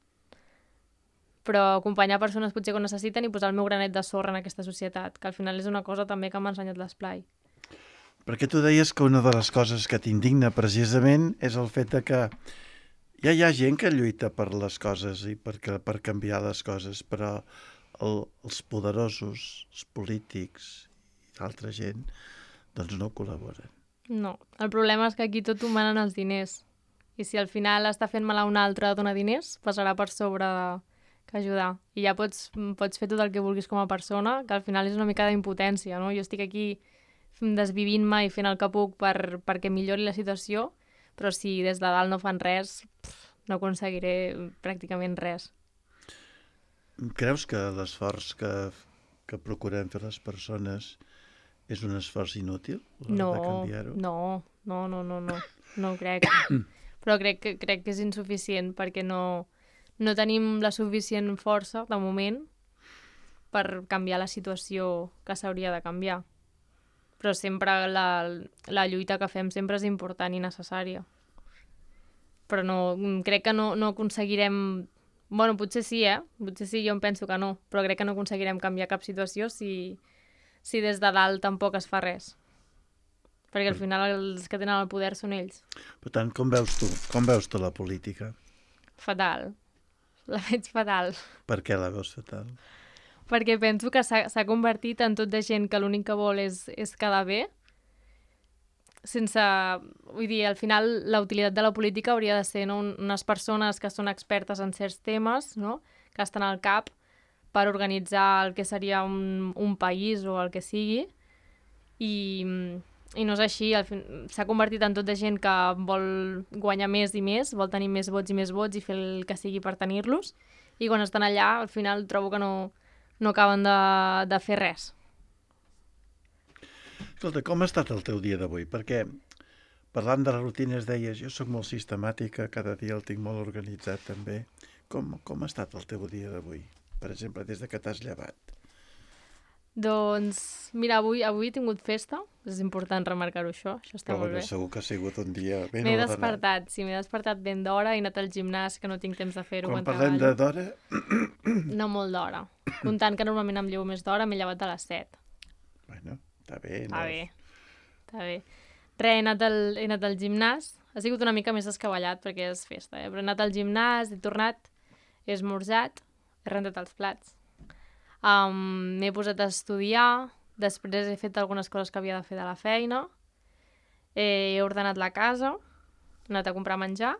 però acompanyar persones potser que ho necessiten i posar el meu granet de sorra en aquesta societat, que al final és una cosa també que m'ha ensenyat l'Esplai. Perquè tu deies que una de les coses que t'indigna precisament és el fet de que ja hi ha gent que lluita per les coses i per canviar les coses, però els poderosos, els polítics i altra gent, doncs no col·laboren. No, el problema és que aquí tot ho manen els diners. I si al final està fent mal a un altre a donar diners, passarà per sobre que ajudar. I ja pots fer tot el que vulguis com a persona, que al final és una mica d'impotència, no? Jo estic aquí desvivint-me i fent el que puc perquè millori la situació, però si des de dalt no fan res, no aconseguiré pràcticament res. Creus que l'esforç que procurem fer les persones és un esforç inútil? No, de canviar-ho? no ho crec. Però crec que és insuficient perquè no tenim la suficient força, de moment, per canviar la situació que s'hauria de canviar. Però sempre la lluita que fem sempre és important i necessària. Però crec que no aconseguirem... Bueno, potser sí, Potser sí, jo em penso que no, però crec que no aconseguirem canviar cap situació si des de dalt tampoc es fa res. Perquè al final els que tenen el poder són ells. Per tant, com veus tu la política? Fatal. La veig fatal. Per què la veus fatal? Perquè penso que s'ha convertit en tot de gent que l'únic que vol és quedar bé, sense... Vull dir, al final la utilitat de la política hauria de ser, no, unes persones que són expertes en certs temes, no? Que estan al cap per organitzar el que seria un país o el que sigui, i no és així. S'ha convertit en tot de gent que vol guanyar més i més, vol tenir més vots i fer el que sigui per tenir-los, i quan estan allà, al final trobo que no acaben de fer res. Escolta, com ha estat el teu dia d'avui? Perquè parlant de les rutines deies, jo sóc molt sistemàtica, cada dia el tinc molt organitzat també. Com ha estat el teu dia d'avui? Per exemple, des de que t'has llevat. Doncs, mira, avui he tingut festa, és important remarcar-ho això està molt bé. Però segur que ha sigut un dia ben m'he ordenat. despertat ben d'hora, he anat al gimnàs, que no tinc temps de fer-ho Quan quan parlem treballo. d'hora... No molt d'hora. Comptant que normalment em llevo més d'hora, m'he llevat a les 7. Bueno, està bé. Està bé. Res, he anat al gimnàs. Ha sigut una mica més descabellat perquè és festa, però he anat al gimnàs, he tornat, he esmorzat, he rentat els plats. M'he posat a estudiar, després he fet algunes coses que havia de fer de la feina, he ordenat la casa, he anat a comprar menjar,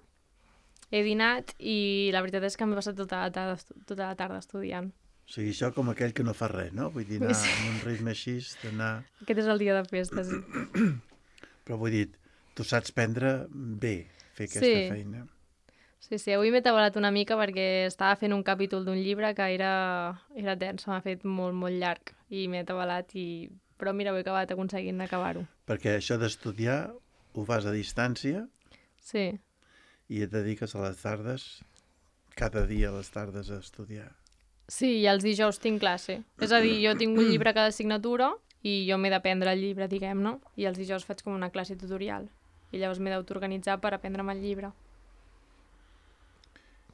he dinat i la veritat és que m'he passat tota la tarda estudiant. O sigui, això com aquell que no fa res, no? Vull dir, anar amb un ritme així, d'anar... Aquest és el dia de festa, sí. Però vull dir, tu saps prendre bé, fer aquesta feina. Sí, avui m'he tabalat una mica perquè estava fent un capítol d'un llibre que era tens, m'ha fet molt, molt llarg i m'he tabalat, però mira, ho he acabat aconseguint acabar-ho. Perquè això d'estudiar ho fas a distància? Sí. I et dediques a les tardes, cada dia a les tardes a estudiar? Sí, i els dijous tinc classe. És a dir, jo tinc un llibre a cada assignatura i jo m'he d'aprendre el llibre, diguem-ne, i els dijous faig com una classe tutorial. I llavors m'he d'autoorganitzar per aprendre'm el llibre.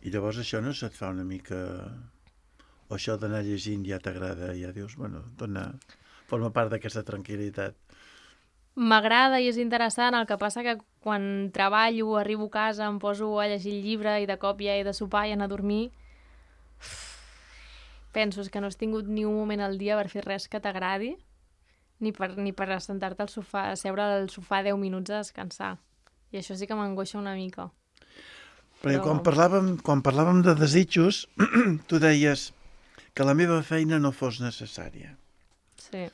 I llavors això no se't fa una mica... O això d'anar llegint ja t'agrada, ja dius, bueno, forma part d'aquesta tranquil·litat. M'agrada i és interessant, el que passa que quan treballo, arribo a casa, em poso a llegir el llibre i de cop ja he de sopar i anar a dormir. Penso que no has tingut ni un moment al dia per fer res que t'agradi, ni per assentar-te al sofà, a seure al sofà 10 minuts a descansar. I això sí que m'angoixa una mica. Perquè quan parlàvem de desitjos, tu deies que la meva feina no fos necessària. Sí.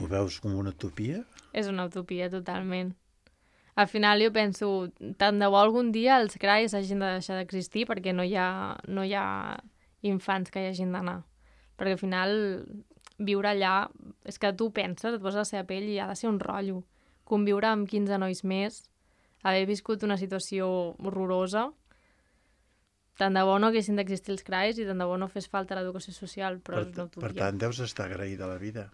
Ho veus com una utopia? És una utopia, totalment. Al final jo penso, tant de bo algun dia els CRAIs hagin de deixar d'existir perquè no hi ha infants que hi hagin d'anar. Perquè al final viure allà, és que tu penses, et poses a la seva pell i ha de ser un rotllo. Conviure amb 15 nois més, haver viscut una situació horrorosa. Tant de bo no haguessin d'existir els CRAIs i tant de bo no fes falta l'educació social, però no Per tant, deus estar agraïda a la vida.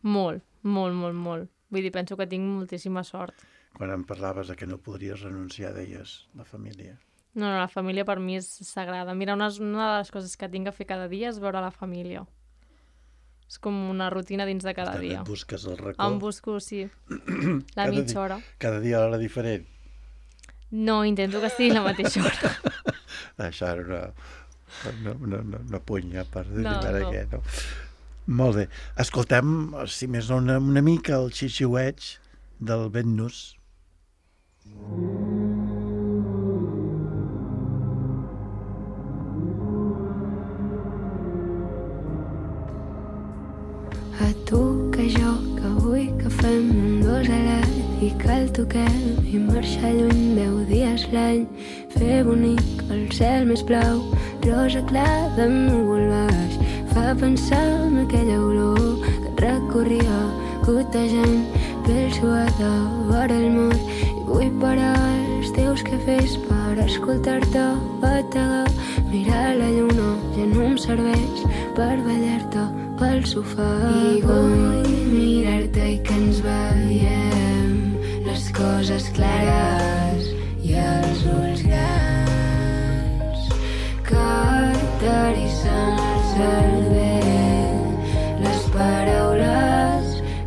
Molt, molt, molt, molt. Vull dir, penso que tinc moltíssima sort. Quan em parlaves de que no podries renunciar, deies, la família. No, la família per mi és sagrada. Mira, una de les coses que tinc a fer cada dia és veure la família. És com una rutina dins de cada dia. Et busques el racó. Em busco, sí, la mitja hora. Cada dia a l'hora diferent. No, intento que sigui la mateixa hora. Això era una punya per dir No. què, no? Molt bé. Escoltem, si més no, una mica el xiuxiueig del vent-nos. A tu, que jo, que vull que fem un dos alat i que el toquem i marxar lluny 10 dies l'any, fer bonic el cel més blau, rosa clar de núvol baix, fa pensar en aquella olor que et recorria gotejant pell suada vora el mur, i vull parar els teus cafès per escoltar-te bategar, mirar la lluna ja no em serveix per ballar-te pel sofà. I vull mirar-te i que ens veiem les coses clares i els ulls grans que t'erissen el cervell, les paraules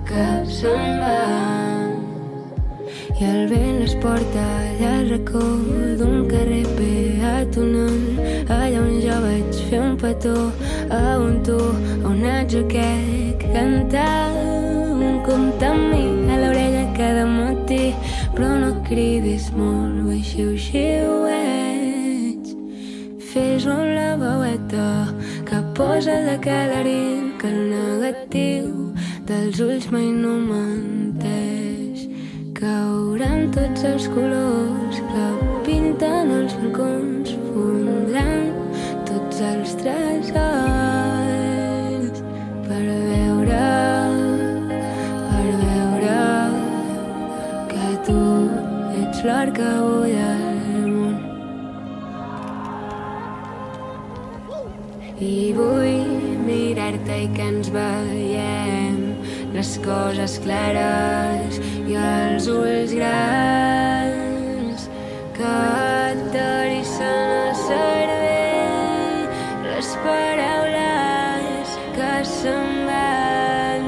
que se'n van i el vent les porta allà al racó d'un carrer peatonal, allà on jo vaig fer un petó a un tu, on ets aquest cantar un conte amb mi a l'orella cada matí, però no cridis molt, vull xiu-xiueig, fes-ho amb la veueta que posa de calaril, que el negatiu dels ulls mai no menteix, cauran tots els colors que pinten els balcons, fondran tots els tresors per veure que tu ets l'or que bull al món. I vull mirar-te i que ens veiem les coses clares i els ulls grans que t'erissen el cervell, les paraules que se'n van.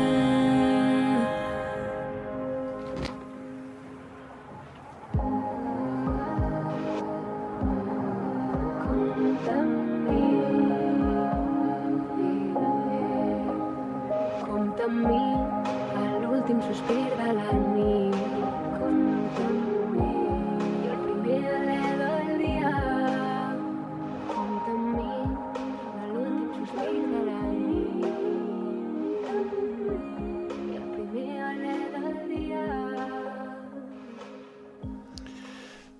Compta amb mi a l'últim sospir de la nit, compta amb mi i el primer alè del dia, compta amb mi a l'últim sospir de la nit i el primer alè del dia.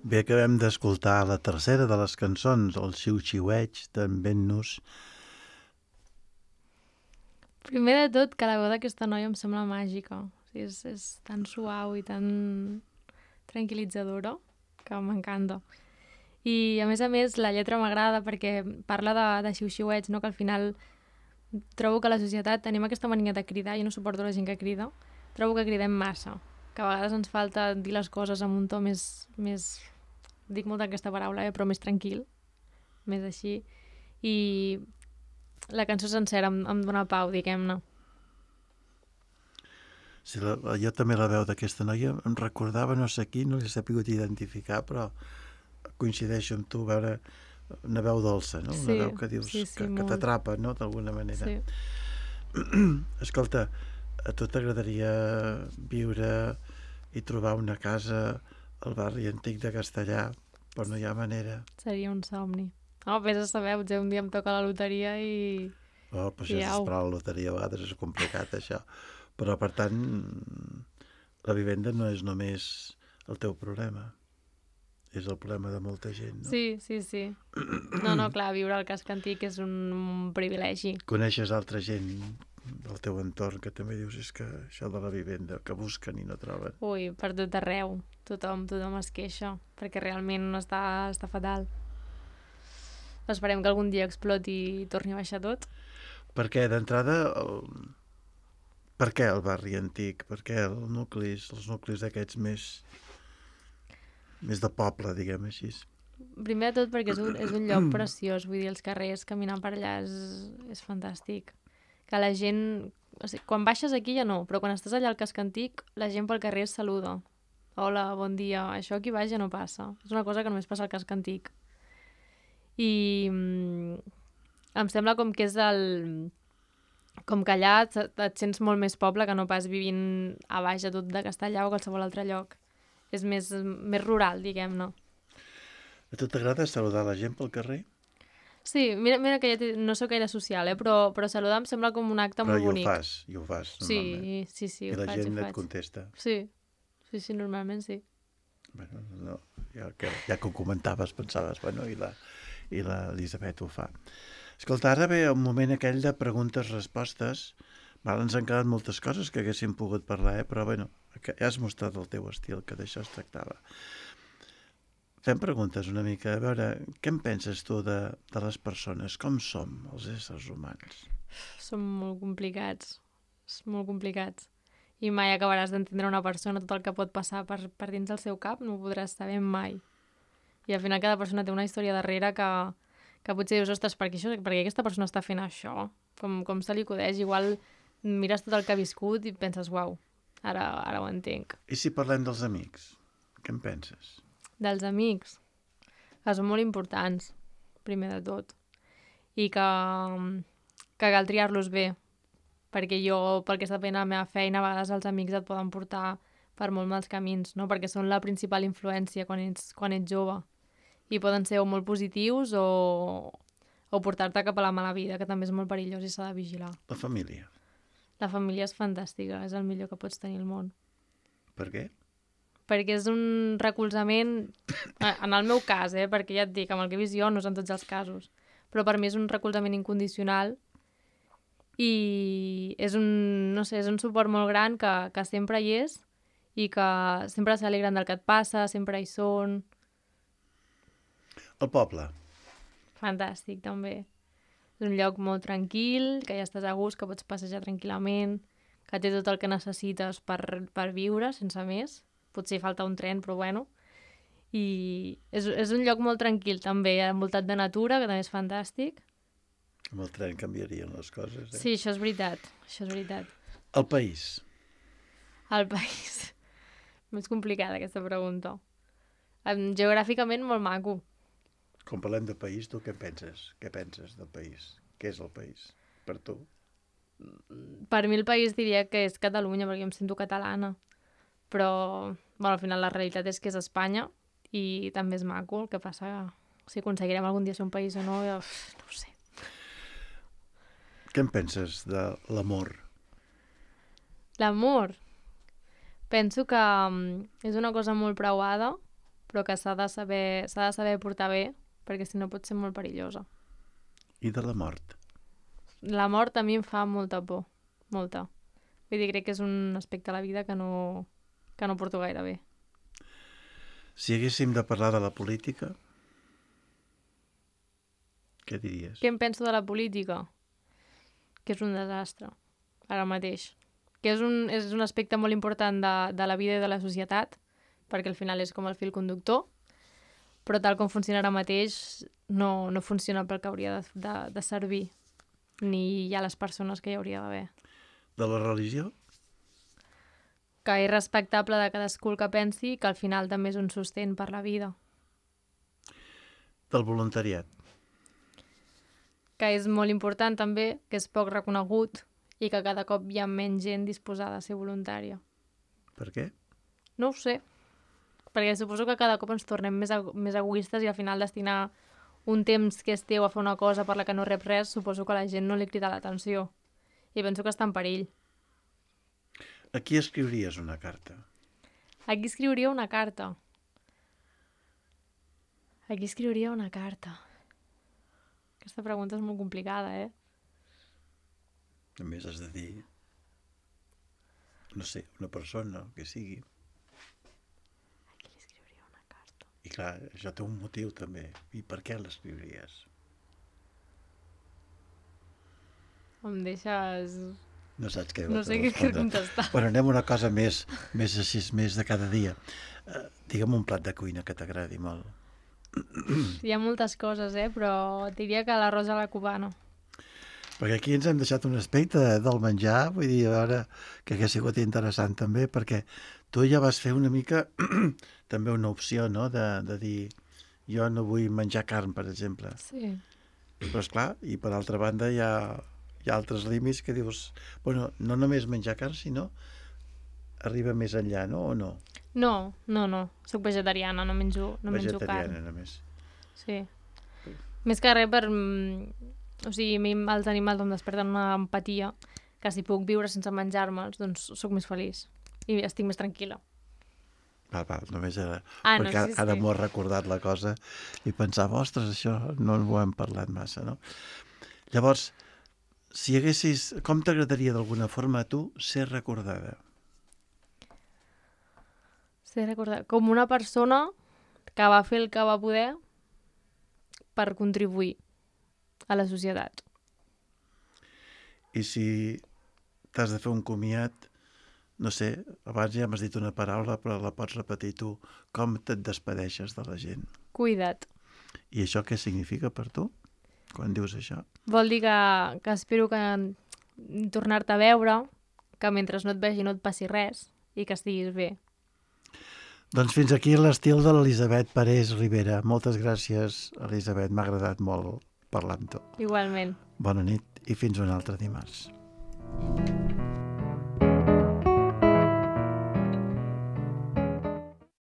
Bé, acabem d'escoltar la tercera de les cançons, el xiu-xiueig d'en vent-nos. Primer de tot, que la veu d'aquesta noia em sembla màgica. O sigui, és tan suau i tan tranquil·litzadora que m'encanta. I, a més, la lletra m'agrada perquè parla de xiu-xiueig, no? Que al final trobo que a la societat tenim aquesta mania de cridar, jo no suporto la gent que crida, trobo que cridem massa, que a vegades ens falta dir les coses amb un to més dic molt aquesta paraula, però més tranquil, més així, i la cançó sencera em dona pau, diguem-ne. Sí, jo també la veu d'aquesta noia em recordava no sé qui, no l'he sabut identificar, però coincideixo amb tu, veure una veu dolça, no? Una veu que dius que t'atrapa, no?, d'alguna manera. Sí. Escolta, a tu t'agradaria viure i trobar una casa al barri antic de Castellà, però no hi ha manera. Seria un somni. Vés a saber, potser un dia em toca la loteria i... Oh, però això és esperar la loteria, a vegades és complicat, això. Però, per tant, la vivenda no és només el teu problema. És el problema de molta gent, no? Sí. No, clar, viure al casc antic és un privilegi. Coneixes altra gent del teu entorn que també dius és que això de la vivenda, que busquen i no troben? Ui, per tot arreu. Tothom es queixa, perquè realment està fatal. Esperem que algun dia exploti i torni a baixar tot. Perquè d'entrada, per què el barri antic? Per què els nuclis aquests més de poble, diguem així? Primer de tot perquè és un lloc preciós, vull dir, els carrers, caminar per allà és fantàstic. Que la gent... O sigui, quan baixes aquí ja no, però quan estàs allà al casc antic, la gent pel carrer es saluda. Hola, bon dia. Això aquí baix ja no passa. És una cosa que només passa al casc antic. I em sembla com que és com que allà et sents molt més poble que no pas vivint a baix a tot de Castellà o qualsevol altre lloc. És més rural, diguem-ne. A tu t'agrada saludar la gent pel carrer? Sí, mira que no sóc gaire social, però saludar em sembla com un acte molt bonic. Però i ho fas, normalment. Sí, I la gent et contesta. Sí, normalment sí. Bueno, no, ja que ho comentaves, pensaves, bueno, i la Elisabet ho fa. Escolta, ara ve un moment aquell de preguntes-respostes. Ens han quedat moltes coses que haguéssim pogut parlar, però bueno, ja has mostrat el teu estil, que d'això es tractava. Fem preguntes una mica, a veure, què en penses tu de les persones? Com som els éssers humans? Som molt complicats, I mai acabaràs d'entendre una persona, tot el que pot passar per dins del seu cap, no ho podràs saber mai. I al final cada persona té una història darrere que potser dius, ostres, per què aquesta persona està fent això? Com se li acudeix? Igual mires tot el que ha viscut i penses, uau, ara ho entenc. I si parlem dels amics? Què en penses? Dels amics, que són molt importants, primer de tot, i que cal triar-los bé, perquè jo, pel que està fent a la meva feina, a vegades els amics et poden portar per molt mals camins, no? Perquè són la principal influència quan ets jove, i poden ser o molt positius o portar-te cap a la mala vida, que també és molt perillós i s'ha de vigilar. La família? La família és fantàstica, és el millor que pots tenir al món. Per què? Perquè és un recolzament, en el meu cas, perquè ja et dic, amb el que he vist jo no és en tots els casos, però per mi és un recolzament incondicional i és un suport molt gran que sempre hi és i que sempre s'alegren del que et passa, sempre hi són. El poble? Fantàstic, també. És un lloc molt tranquil, que ja estàs a gust, que pots passejar tranquil·lament, que té tot el que necessites per viure, sense més. Potser falta un tren, però bueno. I és un lloc molt tranquil, també, envoltat de natura, que també és fantàstic. Amb el tren canviarien les coses, Sí, això és veritat. El país? El país. Més complicada, aquesta pregunta. Geogràficament, molt maco. Quan parlem de país, tu què penses? Què penses del país? Què és el país, per tu? Per mi el país diria que és Catalunya, perquè em sento catalana. Però, bueno, al final la realitat és que és Espanya i també és maco. El que passa, si aconseguirem algun dia ser un país o no, no ho sé. Què en penses de l'amor? L'amor? Penso que és una cosa molt preuada, però que s'ha de saber portar bé, perquè si no pot ser molt perillosa. I de la mort? La mort a mi em fa molta por, molta. Vull dir, crec que és un aspecte a la vida que no porto gaire bé. Si haguéssim de parlar de la política, què diries? Què em penso de la política? Que és un desastre, ara mateix. Que és un aspecte molt important de la vida i de la societat, perquè al final és com el fil conductor, però tal com funciona ara mateix no funciona pel que hauria de servir, ni hi ha les persones que hi hauria d'haver. De la religió? Que és respectable de cadascú el que pensi, que al final també és un sostén per la vida. Del voluntariat? Que és molt important també, que és poc reconegut i que cada cop hi ha menys gent disposada a ser voluntària. Per què? No ho sé, perquè suposo que cada cop ens tornem més egoistes i al final destinar un temps que és teu a fer una cosa per la que no rep res, suposo que a la gent no li crida l'atenció. I penso que està en perill. A qui escriuries una carta? A qui escriuria una carta? A qui escriuria una carta? Aquesta pregunta és molt complicada, A més has de dir, no sé, una persona, el que sigui. A qui li escriuria una carta? I clar, això té un motiu també. I per què l'escriuries? Em deixes... No saps què No sé què contestar. Bueno, anem a una cosa més així, més de cada dia. Digue'm un plat de cuina que t'agradi molt. Hi ha moltes coses, però diria que l'arròs a la cubana. Perquè aquí ens hem deixat un aspecte del menjar, vull dir, a veure, que hagués sigut interessant també, perquè tu ja vas fer una mica també una opció, no?, de dir, jo no vull menjar carn, per exemple. Sí. Però, esclar, i per altra banda hi ha altres límits que dius, bueno, no només menjar carn, sinó arriba més enllà, no?, o no? No. Soc vegetariana, no menjo carn. Vegetariana, només. Sí. Més que res per... O sigui, a mi els animals em desperten una empatia que si puc viure sense menjar-me'ls, doncs sóc més feliç i estic més tranquil·la. Val, només era... No, perquè sí. Ara m'ho has recordat la cosa i pensava, ostres, això no ho hem parlat massa, no? Llavors, si haguessis... Com t'agradaria d'alguna forma a tu ser recordada? Ser recordada com una persona que va fer el que va poder per contribuir a la societat. I si t'has de fer un comiat, no sé, abans ja m'has dit una paraula, però la pots repetir tu. Com te't despedeixes de la gent? Cuida't. I això què significa per tu, quan dius això? Vol dir que espero que tornar-te a veure, que mentre no et vegi no et passi res i que estiguis bé. Doncs fins aquí l'estil de l'Elisabet Parés Ribera. Moltes gràcies, Elisabet, m'ha agradat molt parlar amb tu. Igualment. Bona nit i fins un altre dimarts.